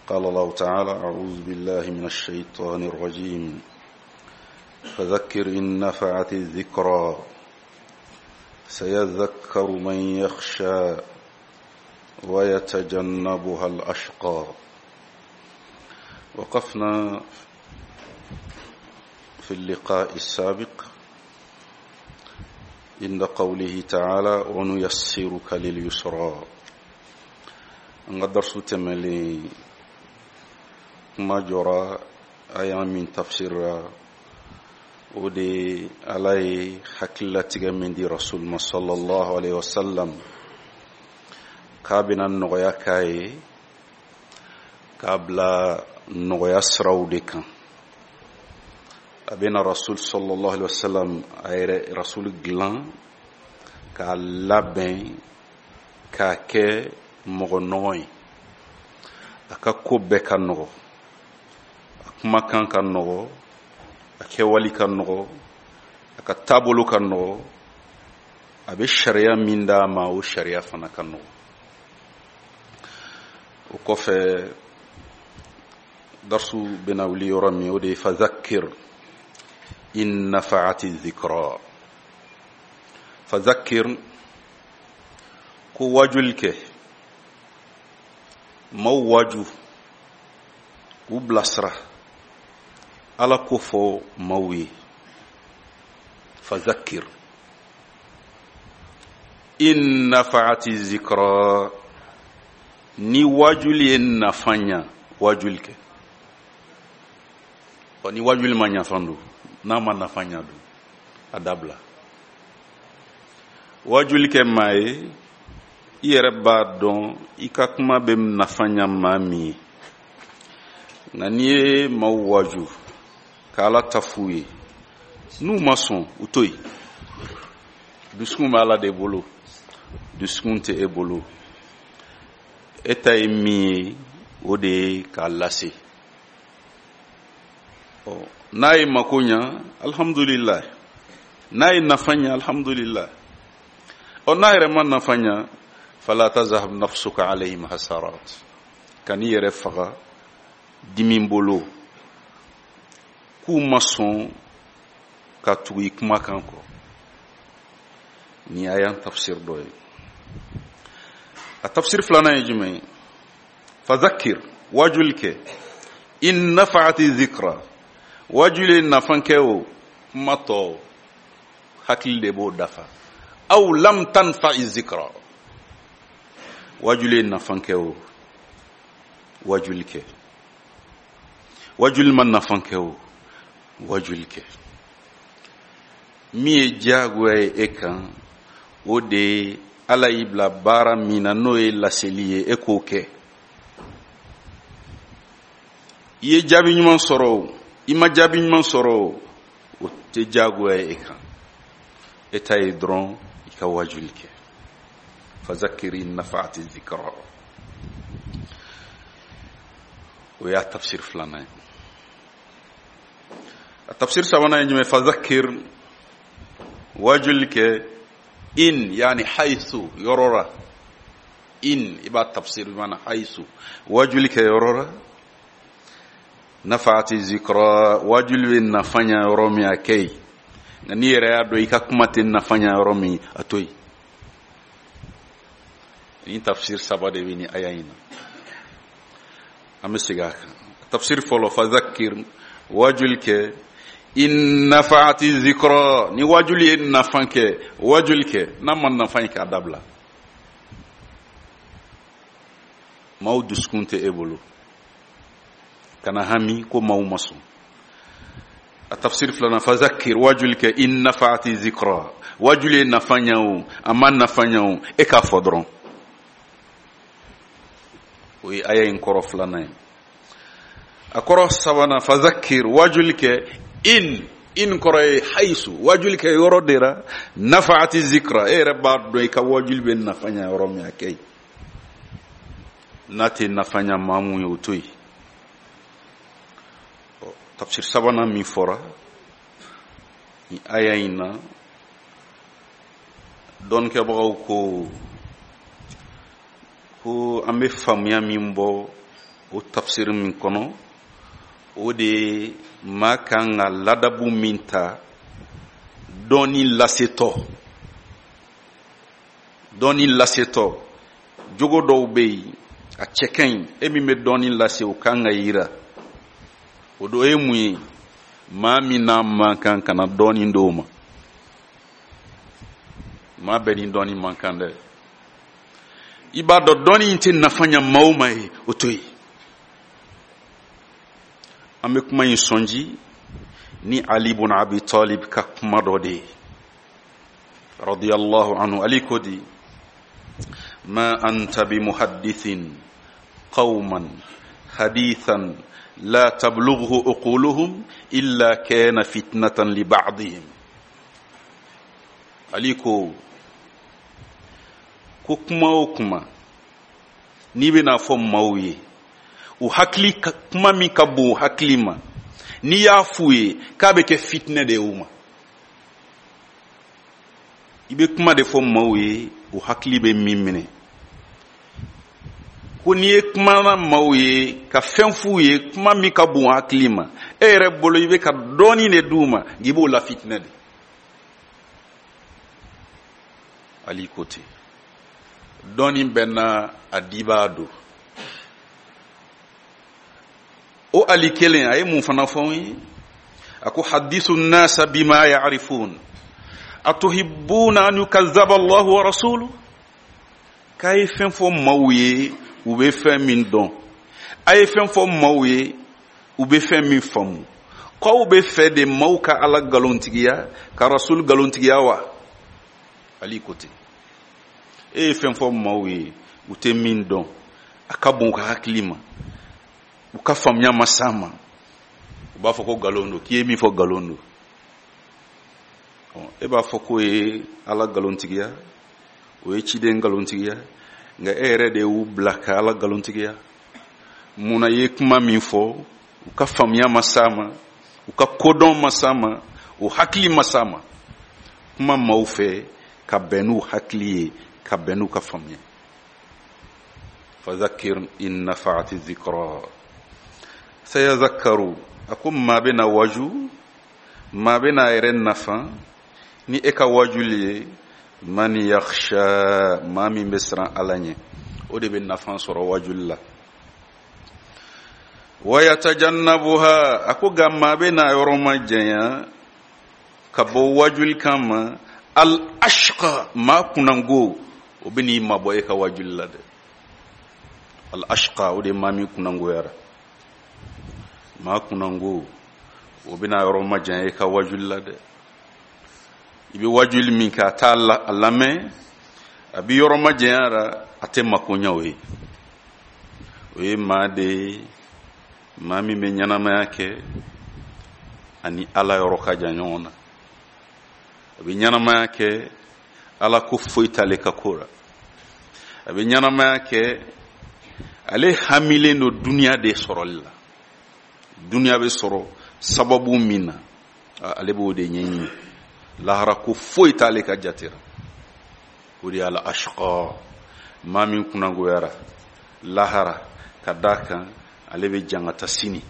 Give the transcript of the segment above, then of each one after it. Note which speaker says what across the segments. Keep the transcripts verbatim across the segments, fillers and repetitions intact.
Speaker 1: قال الله تعالى: أعوذ بالله من الشيطان الرجيم، فذكر إن نفعت الذكرى سيذكر من يخشى ويتجنبها الأشقى. وقفنا في اللقاء السابق عند قوله تعالى: ونيسرك لليسرى. An ka darisu tɛmɛlen, kuma jɔra aya min tafsira, o de Ala ye hakililatigɛ min di Rasul ma sallallahu alaihi wasallam, k'a bɛna nɔgɔya k'a ye, k'a bila nɔgɔya siraw de kan. A bɛna Rasul sallallahu alaihi wasallam, a yɛrɛ Rasul dilan k'a labɛn k'a kɛ mɔgɔ nɔgɔ ye, a ka ko bɛɛ ka nɔgɔ, a kumakan ka nɔgɔ, a kɛwali ka nɔgɔ, a ka taabolo ka nɔgɔ, a bɛ sariya min d'a ma, o sariya fana ka nɔgɔ. O kɔfɛ, darisu bɛna wuli yɔrɔ min, o de ye fazakir in nafaati zikra. Fazakir, ko wajuli kɛ, maaw waju, k'u bilasira, Ala ko fɔ maaw ye. Fazakir in nafaati zikra, ni wajuli ye nafa ɲa, wajuli kɛ. Ɔ, ni wajuli ma ɲa fan don, n'a ma nafa ɲa dun, a dabila. Wajuli kɛ maa ye, i yɛrɛ b'a dɔn i ka kuma bɛ nafa ɲa maa min ye. Nka n'i ye maaw waju k'Ala ta f'u ye, n'u ma sɔn, u to yen. Dusukun bɛ Ala de bolo, dusukun tɛ e bolo. E ta ye min ye, o de ye k'a lase. Ɔ, n'a ye mako ɲa, alhamdulilayi. N'a ye nafa ɲa, alhamdulilayi. Ɔ, n'a yɛrɛ ma nafa ɲa, fala tazhab nafsuka alayhim hasarat, kan'i yɛrɛ faga dimi bolo k'u ma sɔn ka tugu i kumakan kɔ. Nin y'an tafsir dɔ ye. A tafsir filanan ye jumɛn ye? Fazakir, wajuli kɛ, in nafaati zikra, wajuli ye nafa kɛ o, kuma tɔ hakili de b'o dafa. Aw lam tanfa'i zikra, wajuli ye nafa kɛ o, wajuli kɛ. Wajuli ma nafa kɛ o, wajuli kɛ. Min ye diyagoya ye e kan, o de ye Ala y'i bila baara min na, n'o ye laseli ye, e k'o kɛ. I ye jaabi ɲuman sɔrɔ o, i ma jaabi ɲuman sɔrɔ o, o tɛ diyagoya ye e kan. E ta ye dɔrɔn i ka wajuli kɛ. Fazakiri nafaati zikra, o y'a tafsir filanan ye. A tafsir sabanan ye jumɛn? Fazakir, wajuli kɛ, in yani haythu, yɔrɔ la. In i b'a tafsir mana haythu, wajuli kɛ yɔrɔ la. Nafaati zikra, wajuli bɛ nafa ɲa yɔrɔ min, a kɛ yen. Nka n'i yɛrɛ y'a dɔn i ka kuma tɛ nafa ɲa yɔrɔ min, a to yen. Nin tafsir saba de bɛ nin aya in na. An bɛ segin a kan. Tafsir fɔlɔ, fazakir, wajuli kɛ, in nafaati zikra, ni wajuli ye nafa kɛ, wajuli kɛ. N'a ma nafa in kɛ, a dabila. Maaw dusukun tɛ e bolo, kana hami ko maaw ma sɔn. A tafsir filanan, fazakir, wajuli kɛ, in nafaati zikra, wajuli ye nafa ɲa o, a ma nafa ɲa o, e k'a fɔ dɔrɔn. O ye aya in kɔrɔ filanan ye. A kɔrɔ sabanan, fazakir, wajuli kɛ, in in kɔrɔ ye hayisu, wajuli kɛ yɔrɔ de la. Nafaati zikra, e yɛrɛ b'a dɔn i ka wajuli bɛ nafa ɲa yɔrɔ min, a kɛ yen. N'a tɛ nafa ɲa maa mun ye, o to yen. Tafsir sabanan min fɔra ni aya in na, dɔnnikɛbagaw ko ko an bɛ faamuya min bɔ O tafsir min kɔnɔ, o de ye maa kan ka ladabu min ta dɔɔni lasetɔ. Dɔɔni lasetɔ, jogo dɔw bɛ yen a cɛ ka ɲi, e min bɛ dɔɔni lase o kan ka yira. O dɔ ye mun ye? Maa min n'a man kan kana dɔɔni d'o ma. Maa bɛɛ ni dɔɔni man kan dɛ. I b'a dɔn dɔɔni in tɛ nafa ɲɛ maa o maa ye, o to yen. An bɛ kuma in sɔnji ni Ali bun Abi Talib ka kuma dɔ de ye, radiyallahu anhu. Ali ko di: ma anta bi muhaddithin qauman hadithan la tablughu uquluhum illa kana fitnatan li ba'dihim. Ali ko ko kuma o kuma n'i bɛna fɔ maaw ye, u hakili kuma min ka bon u hakili ma, n'i y'a f'u ye k'a bɛ kɛ fitinɛ de ye u ma. I bɛ kuma de fɔ maaw ye u hakili bɛ min minɛ. Ko n'i ye kuma na maaw ye ka fɛn f'u ye, kuma min ka bon u hakili ma, e yɛrɛ bolo i bɛ ka dɔɔnin de d'u ma, nka i b'o la fitinɛ de. Ali ko ten, dɔɔnin bɛ na a dibaa don. O Ali kelen a ye mun fana fɔ n ye? A ko hadithu nasa bima ya'rifun atuhibbuna an yukazzaba Allahu wa rasuluhu. K'a ye fɛn fɔ maaw ye u bɛ fɛn min dɔn, a ye fɛn fɔ maaw ye u bɛ fɛn min faamu. K'aw bɛ fɛ de maaw ka Ala nkalontigiya, ka Rasul nkalontigiya wa? Ali ko ten. E ye fɛn fɔ maaw ye u tɛ min dɔn, a ka bon u ka hakili ma, u ka faamuya ma s'a ma, u b'a fɔ ko nkalon don, k'i ye min fɔ nkalon don. E b'a fɔ k'o ye Ala nkalontigiya, o ye ciden nkalontigiya, nka e yɛrɛ de y'u bila ka Ala nkalontigiya. Munna i ye kuma min fɔ u ka faamuya ma s'a ma, u ka kodɔn ma s'a ma, u hakili ma s'a ma? Kuma maaw fɛ ka bɛn n'u hakili ye, ka bɛn n'u ka faamuya. Fadhakir in nafa'ati dhikra sayadhakkaru. A ko maa bɛna waju, maa bɛna yɛrɛ nafa ni e ka wajuli ye. Man yakhsha, maa min bɛ siran Ala ɲɛ, o de bɛ nafa sɔrɔ wajuli la. Wa yatajannabuha, a ko nka maa bɛna yɔrɔ ma janya ka bɔ wajuli kan ma. Al ashqa, maa kunnango, o bɛ n'i mabɔ e ka wajuli la dɛ. Al ashqa, o de ye maa min kunnangoyara. Maa kunnango, o bɛna yɔrɔ ma janya e ka wajuli la dɛ. I bɛ wajuli min kɛ, a t'a a lamɛn, a bɛ yɔrɔ ma janya la, a tɛ mako ɲɛ o ye. O ye maa de ye, maa min bɛ ɲɛnamaya kɛ ani Ala yɔrɔ ka jan ɲɔgɔn na. A bɛ ɲɛnamaya kɛ Ala ko foyi t'ale ka ko la. A bɛ ɲɛnamaya kɛ ale hamilen don duniya de sɔrɔli la. Duniya bɛ sɔrɔ sababu min na, ale b'o de ɲɛɲini. Lahara ko foyi t'ale ka jate la. O de y'ala ashqa, maa min kunnagoyara lahara ka d'a kan ale bɛ jangata sini.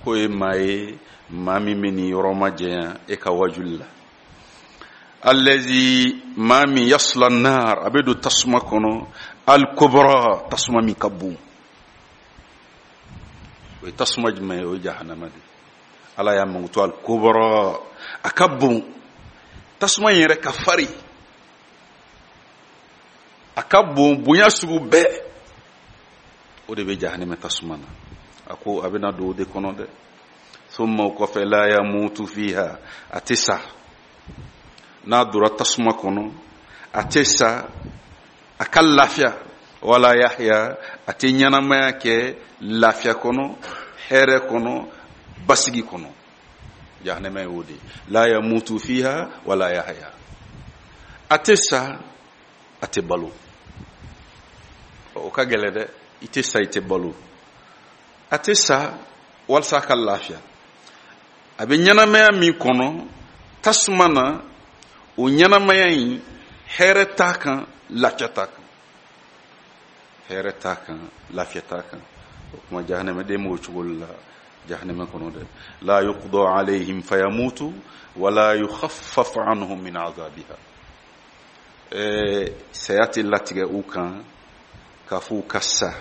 Speaker 1: K'o ye maa ye, maa min bɛ nin yɔrɔ ma janya e ka wajuli la. Allazi, maa min yasla nar, a bɛ don tasuma kɔnɔ, al kubra, tasuma min ka bon. O ye tasuma jumɛn ye? O ye jahanama de ye. Ala y'a mankutu al kubra, a ka bon. Tasuma in yɛrɛ ka farin, a ka bon bonya sugu bɛɛ. O de bɛ jahanama tasuma na. A ko a bɛna don o de kɔnɔ dɛ. Thumma o kɔfɛ la yamutu fiha, a tɛ sa. N'a donna tasuma kɔnɔ, a tɛ sa, a ka lafiya. Wala yahya, a tɛ ɲɛnamaya kɛ lafiya kɔnɔ, hɛrɛ kɔnɔ, basigi kɔnɔ. Jahanama y'o de ye. La yamutu fiha wala yahya, a tɛ sa, a tɛ balo. O ka gɛlɛn dɛ. I tɛ sa, i tɛ balo. A tɛ sa walasa ka lafiya. A bɛ ɲɛnamaya min kɔnɔ tasuma na, o ɲɛnamaya in hɛrɛ t'a kan, lafiya t'a kan. Hɛrɛ t'a kan, lafiya t'a kan. O kuma jahanamaden b'o cogo la jahanama kɔnɔ dɛ. La yuqda alayhim fayamutu wala yukhaffaf anhum min azabiha. Ɛɛ saya tɛ latigɛ u kan k'a fɔ u ka sa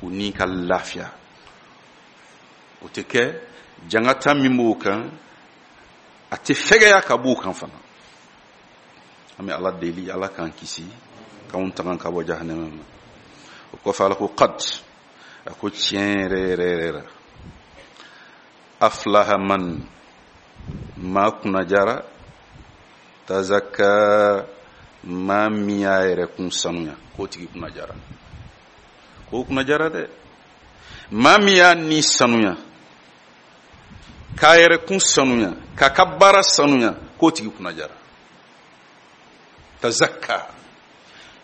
Speaker 1: u ni ka lafiya, o tɛ kɛ. Jangata min b'o kan, a tɛ fɛgɛya ka b'u kan fana. An bɛ Ala deli, Ala k'an kisi, k'anw tanga ka bɔ jahanama ma. O kɔfɛ Ala ko qad, a ko tiɲɛ yɛrɛ yɛrɛ yɛrɛ la, aflaha man, maa kunnajara, tazakka, maa min y'a yɛrɛ kun sanuya, k'o tigi kunnajara, k'o kunnajara dɛ. Maa min y'a ni sanuya, k'a yɛrɛ kun sanuya, k'a ka baara sanuya, k'o tigi kunnajara. Tazakka,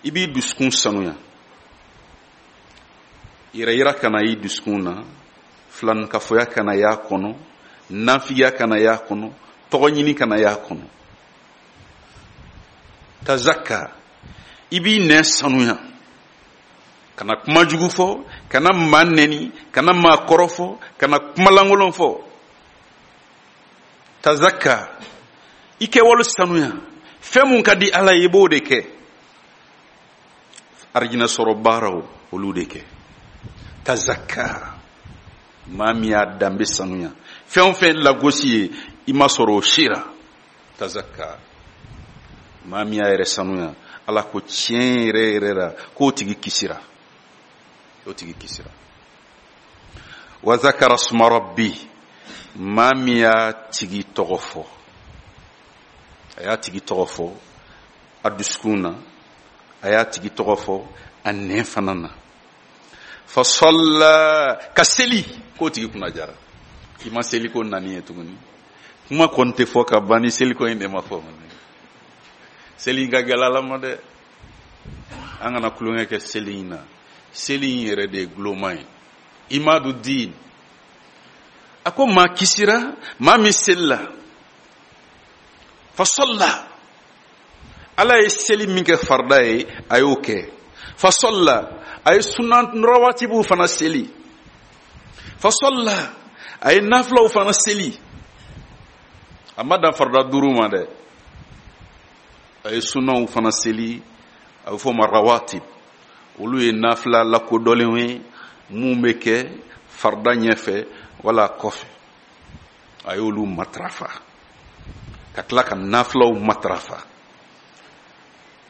Speaker 1: i b'i dusukun sanuya, yɛrɛ yira kana y'i dusukun na, filankafoya kana y'a kɔnɔ, nafigiya kana y'a kɔnɔ, tɔgɔ ɲini kana y'a kɔnɔ. Tazakka, i b'i nɛn sanuya, kana kuma jugu fɔ, kana maa nɛni, kana maa kɔrɔ fɔ, kana kuma lankolon fɔ. Tazakka, i kɛwale sanuya, fɛn mun ka di Ala ye i b'o de kɛ. Arijinɛ sɔrɔ baaraw olu de kɛ. Tazakka, maa min y'a danbe sanuya, fɛn o fɛn lagosi ye i ma sɔrɔ o si la. Tazakka, maa min y'a yɛrɛ sanuya, Ala ko tiɲɛ yɛrɛ yɛrɛ la k'o tigi kisira, o tigi kisira. Wa zakara suma rabbi, maa min y'a tigi tɔgɔ fɔ, a y'a tigi tɔgɔ fɔ a dusukun na, a y'a tigi tɔgɔ fɔ a nɛn fana na. Fa salla, ka seli, k'o tigi kunna jara. I ma seli ko nani ye tuguni, kuma kɔni tɛ fɔ ka ban ni seliko in de ma fɔ. Seli in ka gɛlɛ Ala ma dɛ, an kana tulonkɛ kɛ seli in na. Seli in yɛrɛ de ye guloma ye, imadu diin. A ko maa kisira maa min selila. Fa salla, Ala ye seli min kɛ farida ye a y'o kɛ. Fa salla, a ye sunan rawatibuw fana seli. Fa salla, a ye nafilaw fana seli. A ma dan farida duuru ma dɛ, a ye sunaw fana seli, a bɛ fɔ o ma rawatib. Olu ye nafila lakodɔnlenw ye mun bɛ kɛ farida ɲɛfɛ wala kɔfɛ. A y'olu matarafa ka tila ka nafilaw matarafa.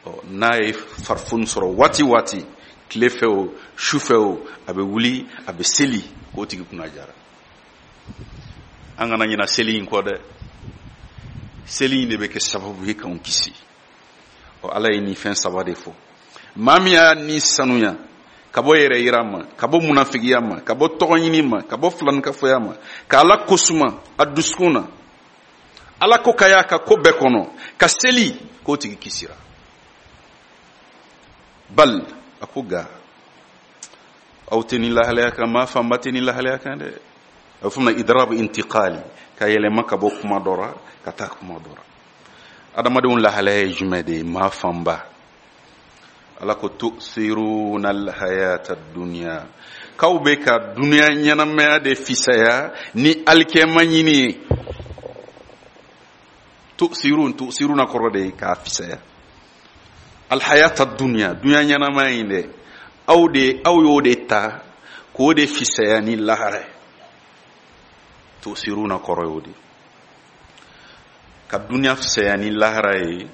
Speaker 1: Ɔ n'a ye farifoni sɔrɔ waati waati, tile fɛ o su fɛ o, a bɛ wuli a bɛ seli, k'o tigi kunna jara. An kana ɲina seli in kɔ dɛ, seli in de bɛ kɛ sababu ye k'anw kisi. Ɔ Ala ye nin fɛn saba de fɔ. Maa min y'a ni sanuya ka bɔ yɛrɛ yira ma, ka bɔ munafigiya ma, ka bɔ tɔgɔ ɲini ma, ka bɔ filankafoya ma, ka Ala kosuma a dusukun na, Ala ko ka y'a ka ko bɛɛ kɔnɔ, ka seli, k'o tigi kisira. Bal, a ko ga aw tɛ nin lahalaya kan, maa fanba tɛ nin lahalaya kan dɛ. A bɛ fɔ o ma idrab intiqali, ka yɛlɛma ka bɔ kuma dɔ la ka taa kuma dɔ la. Adamadenw lahalaya ye jumɛn de ye? Maa fanba. Ala ko tu'thiruna alhayata dunya, k'aw bɛ ka dunuya ɲɛnamaya de fisaya ni alikɛma ɲini ye. Tu'thirun, tu'thiruna kɔrɔ de ye k'a fisaya. Alhayata dunya, dunuya ɲɛnamaya in dɛ, aw de aw y'o de ta k'o de fisaya ni lahara ye. Tu'thiruna kɔrɔ y'o de, ka dunuya fisaya ni lahara ye.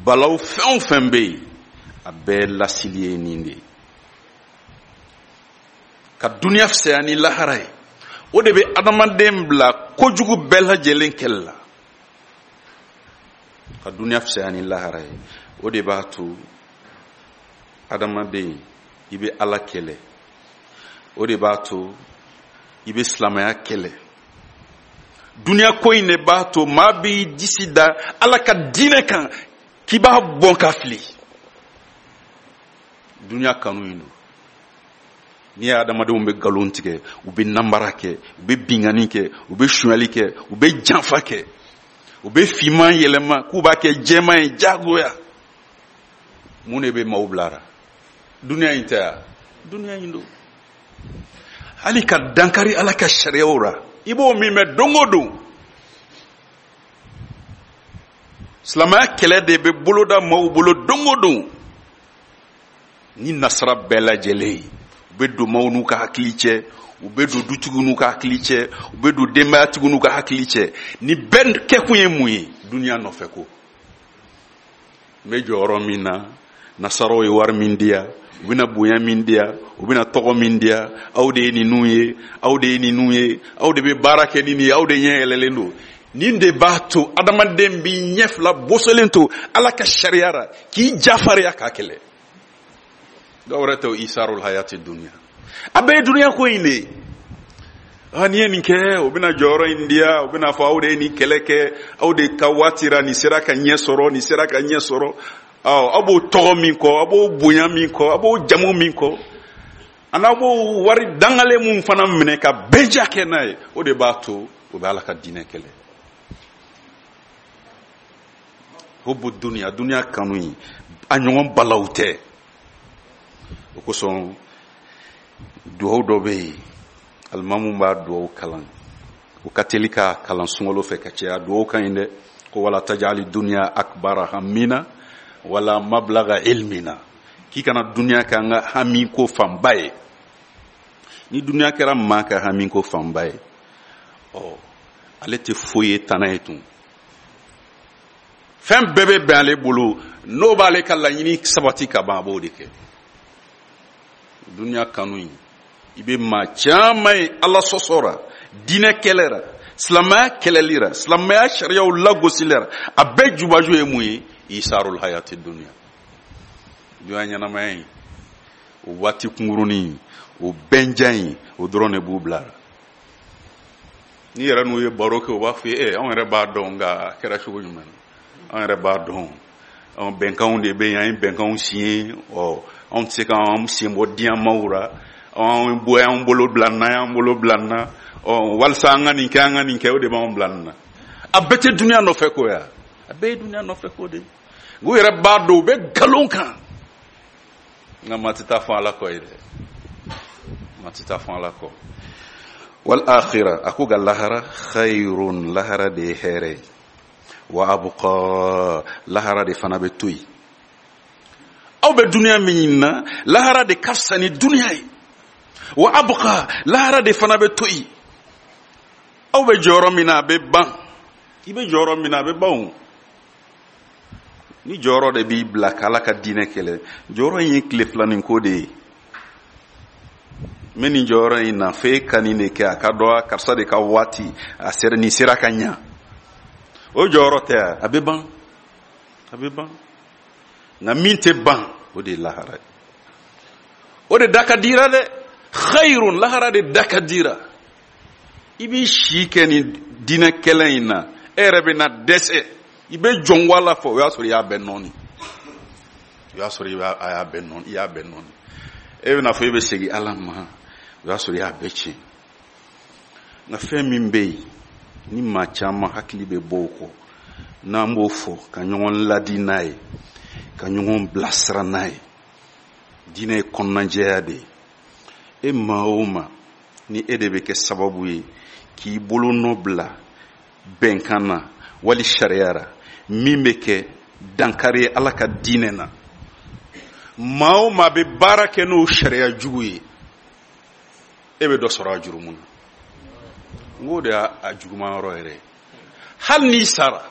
Speaker 1: Balaw fɛn o fɛn bɛ yen, a bɛɛ lasili ye nin de ye. Ka dunuya fisaya ni lahara ye, o de bɛ adamaden bila kojugu bɛɛ lajɛlen kɛlɛ la. Ka dunuya fisaya ni lahara ye, o de b'a to adamaden i bɛ Ala kɛlɛ, o de b'a to i bɛ silamɛya kɛlɛ. Dunuya ko in de b'a to maa b'i disi da Ala ka diinɛ kan k'i b'a bɔn ka fili. Dunuya kanu in don. N'i ye adamadenw bɛ nkalon tigɛ, u bɛ nanbara kɛ, u bɛ binkanni kɛ, u bɛ sonyali kɛ, u bɛ janfa kɛ, u bɛ finman yɛlɛma k'u b'a kɛ jɛman ye jagoya. Mun de bɛ maaw bilara? Duniya in tɛ ya, duniya in don. Hali ka dankari Ala ka sariyaw la, i b'o min mɛn don o don. Silamɛya kɛlɛ de bɛ boloda maaw bolo don o don. Ni nasara bɛɛ lajɛlen ye, u bɛ don maaw n'u ka hakili cɛ, u bɛ don dutigiw n'u ka hakili cɛ, u bɛ don denbayatigiw n'u ka hakili cɛ. Ni bɛɛ kɛkun ye mun ye? Duniya nɔfɛ ko. N bɛ jɔyɔrɔ min na, nasaraw ye wari min di yan, u bɛna bonya min di yan, u bɛna tɔgɔ min di yan, aw de ye ninnu ye, aw de ye ninnu ye, aw de bɛ baara kɛ ni nin ye, aw de ɲɛ yɛlɛlen don. Nin de b'a to adamaden b'i ɲɛ fila bosolen to Ala ka sariya la, k'i jafariya k'a kɛlɛ. Dɔw wɛrɛ tɛ o isarul hayati dunya. A bɛɛ ye duniya ko in de ye. Ah, n'i ye nin kɛ, o bɛna jɔyɔrɔ in di yan, o bɛna fɔ aw de ye nin kɛlɛ kɛ, aw de ka waati ra nin sera ka ɲɛ sɔrɔ, nin sera ka ɲɛ sɔrɔ. Awɔ, aw b'o tɔgɔ min kɔ, aw b'o bonya min kɔ, aw b'o jamu min kɔ, ani aw b'o wari dangalen mun fana minɛ ka bɛnja kɛ n'a ye, o de b'a to o bɛ Ala ka diinɛ kɛlɛ. Hubbu dunya, dunya kanu in, a ɲɔgɔn balawu tɛ. O kosɔn duwawu dɔ bɛ yen, alimamu b'a duwawu kalan, o ka teli ka kalan sunkalo fɛ ka caya. Duwawu ka ɲi dɛ, ko wala tajali dunya akbara hammina wala mablaga ilmina, k'i kana dunya kɛ an ka hami ko fanba ye. Ni dunya kɛra maa ka hami ko fanba ye, ɔ ale tɛ foyi ye tana ye tun. Fɛn bɛɛ bɛ bɛn ale bolo, n'o b'ale ka laɲini sabati ka ban, a b'o de kɛ. Dunya kanu in, i bɛ maa caman ye Ala sɔsɔ ra, diinɛ kɛlɛ ra, silamɛya kɛlɛli ra, silamɛya sariyaw lagosili ra, a bɛɛ jubaju ye mun ye? Isarul hayati dunya. Dunya ɲɛnamaya in, o waati kunkurunin, o bɛnja in, o dɔrɔn de b'u bila la. N'i yɛrɛ n'u ye baro kɛ, u b'a fɔ i ye, anw yɛrɛ b'a dɔn, nka a kɛra cogo jumɛn na? Anw yɛrɛ b'a dɔn, anw bɛnkanw de bɛ yen, an ye bɛnkanw signé, ɔ anw tɛ se k'an sen bɔ diɲɛmaaw ra, anw bɔ y'an bolo bila nin na, y'an bolo bila nin na, ɔ walasa an ka nin kɛ, an ka nin kɛ, o de b'anw bila nin na. A bɛɛ tɛ dunuya nɔfɛ ko ya, a bɛɛ ye dunuya nɔfɛ ko de ye. U yɛrɛ b'a dɔn u bɛ nkalon kan, nka maa tɛ taa fɔ Ala kɔ ye dɛ, maa tɛ taa fɔ Ala kɔ. Wal akhira, a ko ka lahara khayrun, lahara de ye hɛrɛ ye, wa abqa, lahara de fana bɛ to yen. Aw bɛ dunuya min na, lahara de ka fisa ni dunuya ye. Wa abqa, lahara de fana bɛ to yen. Aw bɛ jɔyɔrɔ min na, a bɛ ban. I bɛ jɔyɔrɔ min na, a bɛ ban o. Ni jɔyɔrɔ de b'i bila k'Ala ka diinɛ kɛlɛ, jɔyɔrɔ in ye tile filanin ko de ye. N bɛ nin jɔyɔrɔ in na, f'e ka nin de kɛ, a ka dɔn karisa de ka waati, a sera, nin sera ka ɲa. O jɔyɔrɔ tɛ a, a bɛ ban, a bɛ ban. Nka min tɛ ban, o de ye lahara ye. O de da ka dira dɛ. Khayrun, lahara de da ka dira. I b'i si kɛ nin diinɛ kɛlɛ in na, e yɛrɛ bɛ na dɛsɛ, i bɛ jɔn ko Ala fɔ, o y'a sɔrɔ i y'a bɛɛ nɔɔni. O y'a sɔrɔ i b'a, a y'a bɛɛ nɔɔni, i y'a bɛɛ nɔɔni. E bɛna fɔ e bɛ segin Ala ma, o y'a sɔrɔ i y'a bɛɛ tiɲɛ. Nka fɛn min bɛ yen, ni maa caman hakili bɛ bɔ o kɔ, n'an b'o fɔ ka ɲɔgɔn ladi n'a ye, ka ɲɔgɔn bilasira n'a ye, diinɛ ye kɔnɔnajɛya de ye. E maa o maa, ni e de bɛ kɛ sababu ye k'i bolo nɔ bila bɛnkan na wali sariya ra, min bɛ kɛ dankari ye Ala ka diinɛ na, maa o maa bɛ baara kɛ n'o sariya jugu ye, e bɛ dɔ sɔrɔ a jurumu na. N k'o de y'a juguman yɔrɔ yɛrɛ ye. Hali n'i sara,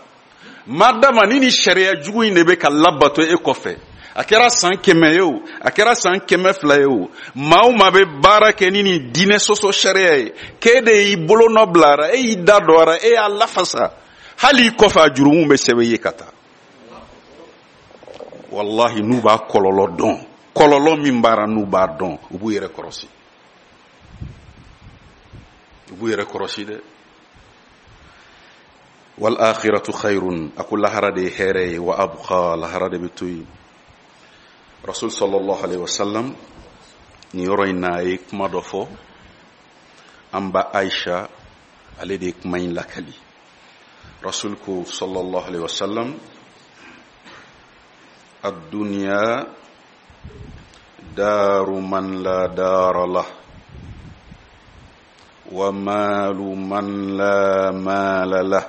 Speaker 1: madama ni ni sariya jugu in de bɛ ka labato e kɔfɛ, a kɛra san kɛmɛ ye o, a kɛra san kɛmɛ fila ye o, maa o maa bɛ baara kɛ ni nin diinɛ sɔsɔ sariya ye, k'e de y'i bolo nɔ bila a ra, e y'i da don a ra, e y'a lafasa, hali i kɔfɛ a jurumu bɛ sɛbɛn i ye ka taa. Walahi, n'u b'a kɔlɔlɔ dɔn, kɔlɔlɔ min b'a ra n'u b'a dɔn, u b'u yɛrɛ kɔrɔsi. U b'u yɛrɛ kɔrɔsi dɛ. Wal akhiratu khayrun, a ko lahara de ye hɛrɛ ye, wa abqa, lahara de bɛ to yen. Rasul sallallahu alaihi wasallam nin yɔrɔ in na, a ye kuma dɔ fɔ. An ba Aisha, ale de ye kuma in lakali. Rasul ko sallallahu alaihi wasallam, ad-dunya دار من لا دار له ومال من لا مال له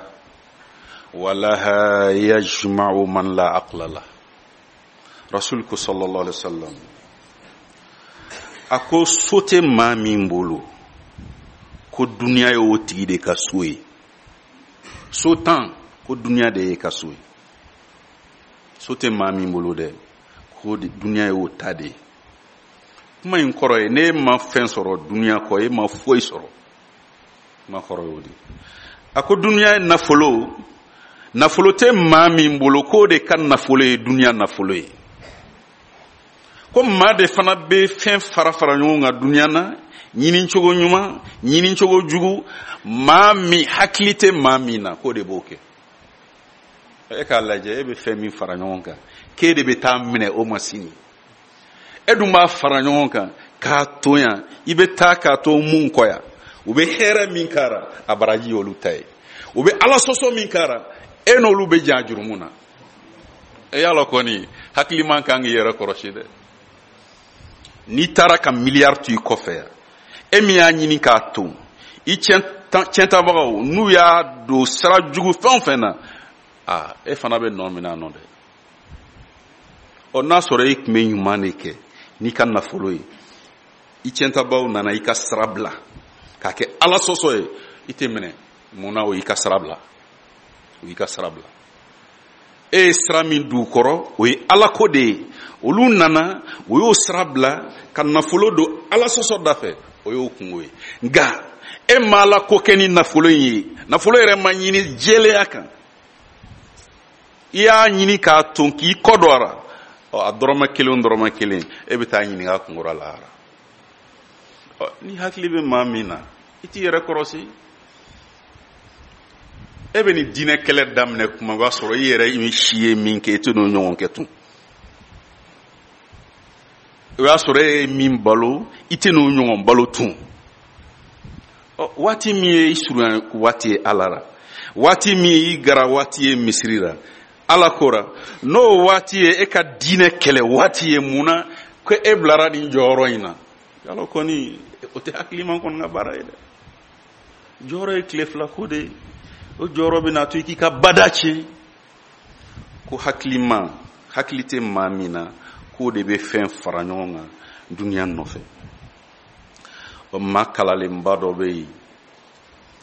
Speaker 1: ولها يجمع من لا عقل له. رسولك صلى الله عليه وسلم ako so tɛ maa min bolo ko duniya ye o tigi de ka so ye. So tan ko duniya de ye ka so ye. So tɛ maa min bolo dɛ ko duniya ye o ta de ye. Kuma in kɔrɔ ye n'e ma fɛn sɔrɔ duniya kɔ, e ma foyi sɔrɔ. Kuma kɔrɔ y'o de ye. A ko duniya ye nafolo, nafolo tɛ maa min bolo k'o de ka nafolo ye duniya nafolo ye. Ko maa de fana bɛ fɛn fara fara ɲɔgɔn kan duniya na, ɲini cogo ɲuman, ɲini cogo jugu, maa min hakili tɛ maa min na k'o de b'o kɛ. E k'a lajɛ, e bɛ fɛn min fara ɲɔgɔn kan k'e de bɛ taa minɛ o ma sini. E dun b'a fara ɲɔgɔn kan k'a to yan, i bɛ taa k'a to mun kɔ yan. U bɛ hɛrɛ min k'a ra, a baraji y'olu ta ye. U bɛ ala sɔsɔ min k'a ra, e n'olu bɛ jan jurumu na. E y'a lɔn kɔni, hakiliman kan k'i yɛrɛ kɔlɔsi dɛ. N'i taara ka miliyari to i kɔfɛ yan, e min y'a ɲini k'a to, i tiɲɛtabagaw n'u y'a don sira jugu fɛn o fɛn na, aa e fana bɛ nɔ minɛ a nɔ dɛ. Ɔ n'a sɔrɔ e tun bɛ ɲuman de kɛ n'i ka nafolo ye, i tiɲɛtabaw nana i ka sira bila k'a kɛ ala sɔsɔ ye, i tɛ minɛ. Mun na? O y'i ka sira bila, o y'i ka sira bila. E ye sira min d'u kɔrɔ, o ye ala ko de ye. Olu nana, o y'o sira bila ka nafolo don ala sɔsɔ da fɛ, o y'o kungo ye. Nka e ma ala ko kɛ ni nafolo in ye, nafolo yɛrɛ ma ɲini jɛlenya kan, i y'a ɲini k'a ton k'i kɔ don a la, ɔ a dɔrɔmɛ kelen dɔrɔmɛ kelen e bɛ taa ɲininka a kungo la lahara. Ɔ ni hakili bɛ maa min na, i t'i yɛrɛ kɔlɔsi. E bɛ nin diinɛ kɛlɛ daminɛ kuma, o b'a sɔrɔ i yɛrɛ si ye min kɛ, i tɛ n'o ɲɔgɔn kɛ tun. O y'a sɔrɔ e ye min balo, i tɛ n'o ɲɔgɔn balo tun. Ɔ waati min ye i surunya waati ye ala la, waati min ye i gara waati ye misiri la, ala kora n'o waati ye e ka diinɛ kɛlɛ waati ye, mun na ko e bilara nin jɔyɔrɔ in na? Yala kɔni o tɛ hakiliman kɔni ka baara ye dɛ. Jɔyɔrɔ ye tile fila ko de ye. O jɔyɔrɔ bɛna to i k'i ka bada tiɲɛ. Ko hakilima, hakili tɛ maa min na k'o de bɛ fɛn fara ɲɔgɔn kan duniya nɔfɛ. O maa kalalenba dɔ bɛ yen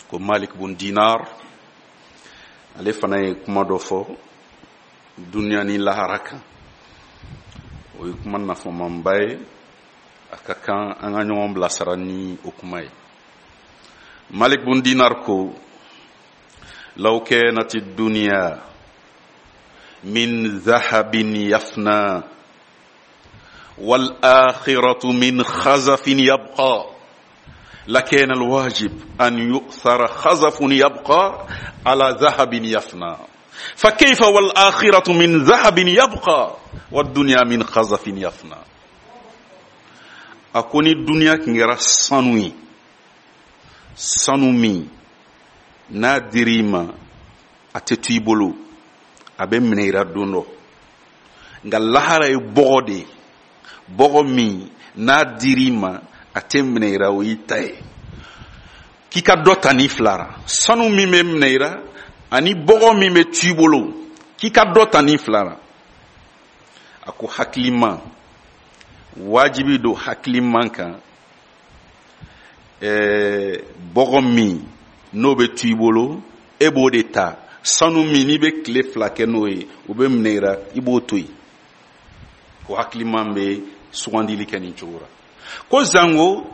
Speaker 1: ko Malik bun Dinar, ale fana ye kuma dɔ fɔ duniya ni lahara kan. O ye kuma nafamanba ye, a ka kan an ka ɲɔgɔn bilasira ni o kuma ye. Malik bun Dinar ko لو كانت الدنيا من ذهب يفنى والآخرة من خزف يبقى لكان الواجب أن يؤثر خزف يبقى على ذهب يفنى، فكيف والآخرة من ذهب يبقى والدنيا من خزف يفنى. أكون الدنيا كنغرا سانوي سانومي n'a dir'i ma a tɛ to i bolo, a bɛ minɛ i la don dɔ. Nka lahara ye bɔgɔ de ye, bɔgɔ min n'a dir'i ma a tɛ minɛ i la, o y'i ta ye. K'i ka dɔ ta ni fila ra, sanu min bɛ minɛ i la ani bɔgɔ min bɛ to i bolo, k'i ka dɔ ta ni fila ra. A ko hakilima, wajibi don hakiliman kan, ɛɛ bɔgɔ min n'o bɛ to i bolo e b'o de ta, sanu min n'i bɛ tile fila kɛ n'o ye o bɛ minɛ i la, i b'o to yen. Ko hakiliman bɛ sugandili kɛ nin cogo la. Ko zango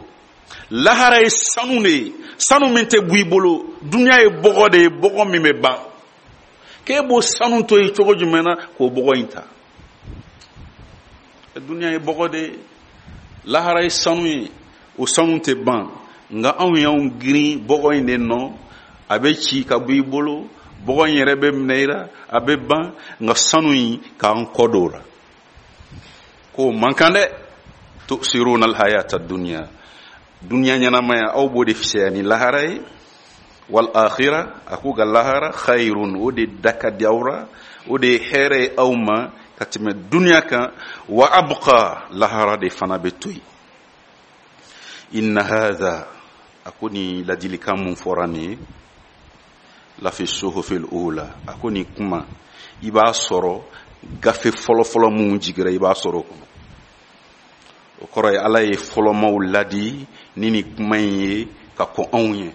Speaker 1: lahara ye sanu de ye, sanu min tɛ bɔ i bolo, duniya ye bɔgɔ de ye, bɔgɔ min bɛ ban. K'e b'o sanu to yen cogo jumɛn na k'o bɔgɔ in ta? Duniya ye bɔgɔ de ye, lahara ye sanu ye, o sanu tɛ ban. Nka anw y'anw girin bɔgɔ in de nɔ, a bɛ ci ka bɔ i bolo, bɔgɔ in yɛrɛ bɛ minɛ i la, a bɛ ban, nka sanu in k'an kɔ don o la. K'o man kan dɛ. Tu'siruna al-hayata ad-dunya, dunya ɲɛnamaya aw b'o de fisaya ni lahara ye. Wal akhira, a ko ka lahara khayrun, o de da ka di aw la, o de ye hɛrɛ ye aw ma ka tɛmɛ duniya kan, wa abqa, lahara de fana bɛ to yen. Inna hadha, a ko nin ladilikan mun fɔra nin ye, lafi suhufil ula, a ko nin kuma i b'a sɔrɔ gafe fɔlɔfɔlɔ mun jigira, i b'a sɔrɔ o kɔnɔ. O kɔrɔ ye Ala ye fɔlɔmaw ladi ni nin kuma in ye ka kɔn anw ye.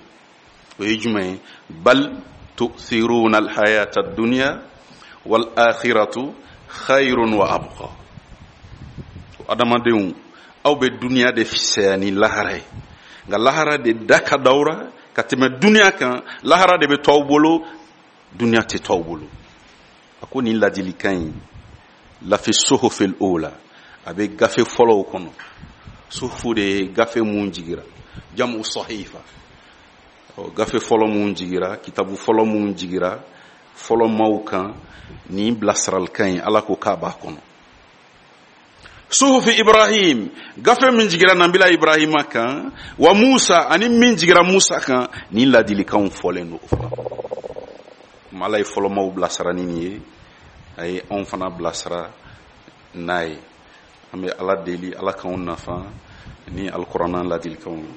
Speaker 1: O ye jumɛn ye? Bal tu'thiruna alhayata ad-dunya wal akhiratu khayrun wa abqa. Adamadenw, aw bɛ duniya de fisaya ni lahara ye, nka lahara de da ka dawura ka tɛmɛ duniya kan. Lahara de bɛ to aw bolo, duniya tɛ to aw bolo. A ko nin ladilikan in, lafi suhufil ula, a bɛ gafe fɔlɔw kɔnɔ. Suhufu de ye gafe mun jigira, jamu sahifa, gafe fɔlɔ mun jigira, kitabu fɔlɔ mun jigira fɔlɔ maaw kan, nin bilasiralikan in Ala ko k'a b'a kɔnɔ. Suhufi Ibrahim, gafe min jigira nabila Ibrahima kan, wa Musa, ani min jigira Musa kan, nin ladilikanw fɔlen don o fana. Kuma Ala ye fɔlɔ maaw bilasira ni nin ye, a ye anw fana bilasira n'a ye. An bɛ Ala deli, Ala k'anw nafa ni alikuranna ladilikanw ye.